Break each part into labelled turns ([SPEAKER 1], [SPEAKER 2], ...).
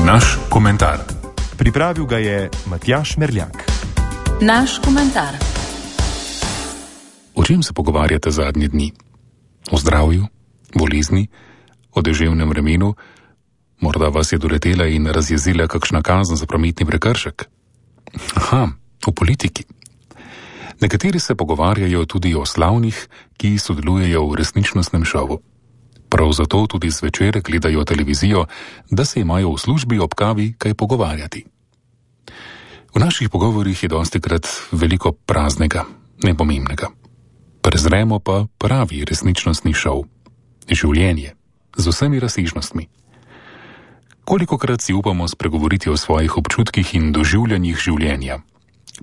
[SPEAKER 1] Naš komentar.
[SPEAKER 2] Pripravil ga je Matjaž Merljak.
[SPEAKER 3] Naš komentar.
[SPEAKER 1] O čem se pogovarjate zadnje dni? O zdravju, bolezni, o deževnem vremenu? Morda vas je doletela in razjezila kakšna kazen za prometni prekršek? Aha, o politiki. Nekateri se pogovarjajo tudi o slavnih, ki sodelujejo v resničnostnem šovu. Prav zato tudi zvečer gledajo televizijo, da se imajo v službi ob kavi kaj pogovarjati. V naših pogovorih je dostikrat veliko praznega, nepomembnega. Prezremo pa pravi resničnostni šov. Življenje z vsemi razsežnostmi. Kolikokrat si upamo spregovoriti o svojih občutkih in doživljanjih življenja,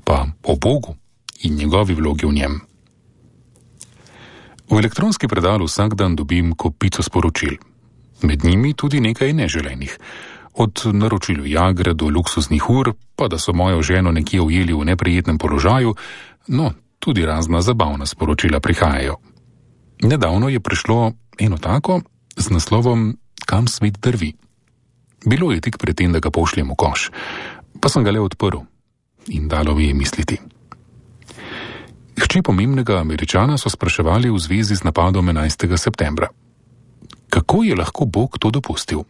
[SPEAKER 1] pa o Bogu in njegovi vlogi v njem. V elektronski predal vsak dan dobim kopico sporočil. Med njimi tudi nekaj neželenih. Od naročil Viagre do luksuznih ur, pa da so mojo ženo nekje ujeli v neprijetnem položaju, no, tudi razna zabavna sporočila prihajajo. Nedavno je prišlo eno tako z naslovom Kam svet drvi. Bilo je tik pred tem, da ga pošljem v koš, pa sem ga le odprl in dalo mi je misliti. Hči pomembnega Američana so spraševali v zvezi z napadom 11. septembra. Kako je lahko Bog to dopustil?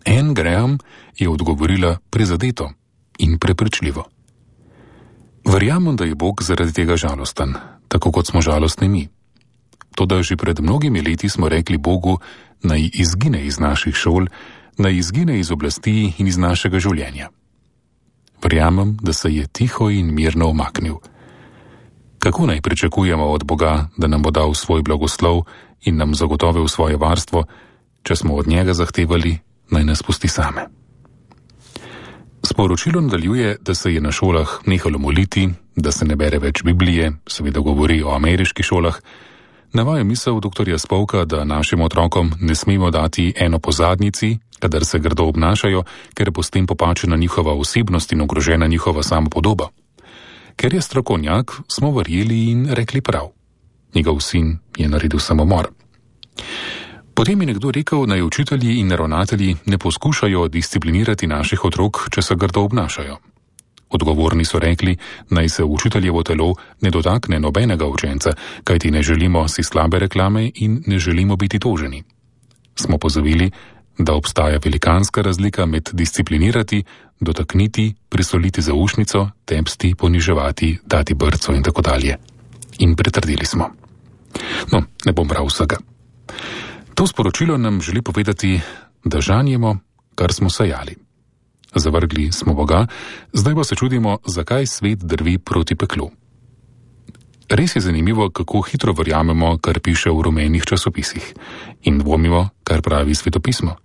[SPEAKER 1] Anne Graham je odgovorila prizadeto in prepričljivo. Verjamem, da je Bog zaradi tega žalosten, tako kot smo žalostni mi. Toda že pred mnogimi leti smo rekli Bogu, naj izgine iz naših šol, naj izgine iz oblasti in iz našega življenja. Verjamem, da se je tiho in mirno umaknil. Kako naj pričakujemo od Boga, da nam bo dal svoj blagoslov in nam zagotovil svoje varstvo, če smo od njega zahtevali, naj nas pusti same? Sporočilo nadaljuje, da se je na šolah nehalo moliti, da se ne bere več Biblije, seveda govori o ameriških šolah. Navaja misel doktorja Spolka, da našim otrokom ne smemo dati eno po zadnjici, kadar se grdo obnašajo, ker bo s tem popačena njihova osebnost in ogrožena njihova samopodoba. Ker je strokovnjak, smo verjeli in rekli prav. Njegov sin je naredil samomor. Potem je nekdo rekel, naj učitelji in ravnatelji ne poskušajo disciplinirati naših otrok, če se grdo obnašajo. Odgovorni so rekli, naj se učiteljevo telo ne dotakne nobenega učenca, kajti ne želimo si slabe reklame in ne želimo biti toženi. Smo pozavili, da obstaja velikanska razlika med disciplinirati, dotakniti, prisoliti zaušnico, tepsti, poniževati, dati brco in tako dalje. In pritrdili smo. No, ne bom bral vsega. To sporočilo nam želi povedati, da žanjemo, kar smo sajali. Zavrgli smo Boga, zdaj pa se čudimo, zakaj svet drvi proti peklu. Res je zanimivo, kako hitro verjamemo, kar piše v rumenih časopisih, in dvomimo, kar pravi svetopismo.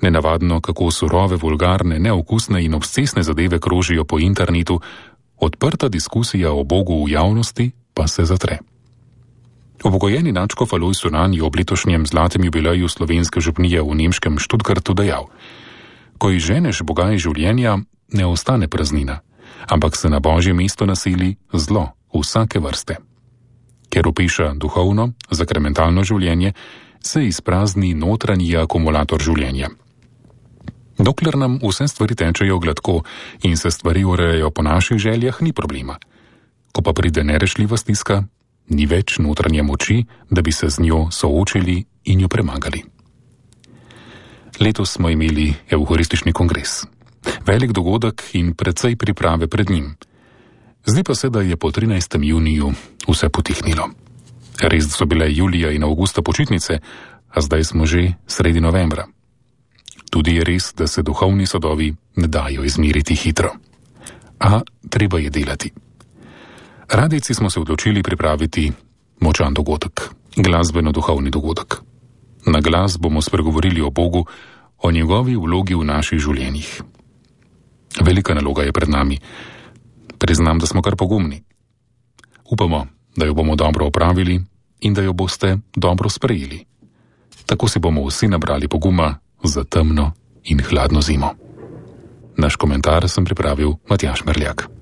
[SPEAKER 1] Nenavadno, kako surove, vulgarne, neokusne in obscesne zadeve krožijo po internetu, odprta diskusija o Bogu v javnosti pa se zatre. Upokojeni nadškof Alojz Sunan je ob letošnjem zlatem jubileju slovenske župnije v nemškem Stuttgartu dejal: Ko izženeš Boga iz življenja, ne ostane praznina, ampak se na Božje mesto naseli zlo vsake vrste. Ker opiša duhovno, zakramentalno življenje, se izprazni notranji akumulator življenja. Dokler nam vse stvari tečejo gladko in se stvari urejajo po naših željah, ni problema. Ko pa pride nerešljiva stiska, ni več notranje moči, da bi se z njo soočili in jo premagali. Letos smo imeli evharistični kongres. Velik dogodek in precej priprave pred njim. Zdi pa se, da je po 13. juniju vse potihnilo. Res so bile julija in avgusta počitnice, a zdaj smo že sredi novembra. Tudi je res, da se duhovni sodovi ne dajo izmeriti hitro. A treba je delati. Radijci smo se odločili pripraviti močan dogodek, glasbeno-duhovni dogodek. Na glas bomo spregovorili o Bogu, o njegovi vlogi v naših življenjih. Velika naloga je pred nami. Priznam, da smo kar pogumni. Upamo, da jo bomo dobro opravili in da jo boste dobro sprejeli. Tako si bomo vsi nabrali poguma za temno in hladno zimo. Naš komentar sem pripravil Matjaž Merljak.